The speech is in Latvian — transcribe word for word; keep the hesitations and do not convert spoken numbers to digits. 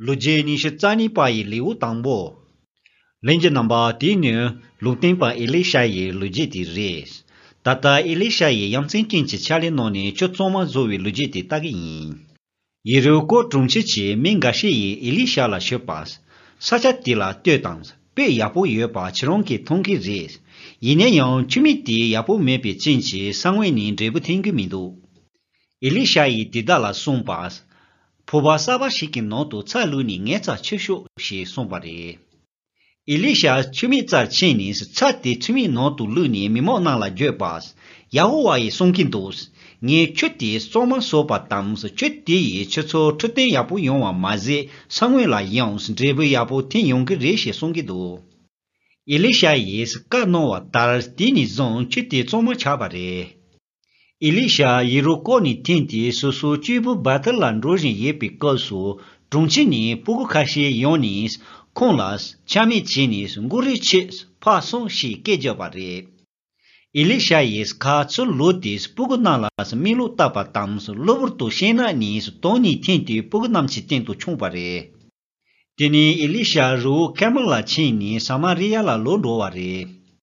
Luje ni shi zani pa yi liu tangbo. Lenje namba di ne lutin pa Elisha ye luje di res. Tata Elisha ye yamtsin kinchi chali no ni cho tsoma zowi luje di tagi yin. Yiru ko trungchi chi minga shi ye Elisha la shepas. Sacha di la te tangs. Pe yapu ye pa chironki tongki res. Yine yang chumi di yapu mepi chinchi sangwe ni drebu tingi midu. Elisha ye dida la songpas. Poba saba shikin no tu ca lu ni nge ca chishu shi songpare. Elisha chumi ca chini si ca di chumi no tu lu ni mimo na la jepas. Yahuwa ye songkin dos. Nge chuti soma sopa tams chuti ye chicho chute yapu yongwa mazi sangwe la yongs drebu yapu tin yongki reshi songki do. Elisha ye si ka no wa tar dini zon chuti soma chabare. Elisha yiruko ni tinti susu jibu batalan rojin yepi kosu zhongchi ni pugu kashi yonis konglas chami chinis nguri chis pa song shi gejabare. Elisha yes ka tsu lotis pugu nalas milu tapa tams loburtu shena nis toni tinti pugu namchi tintu chungpare. Tini Elisha ru Kamala chini Samaria la lodoware.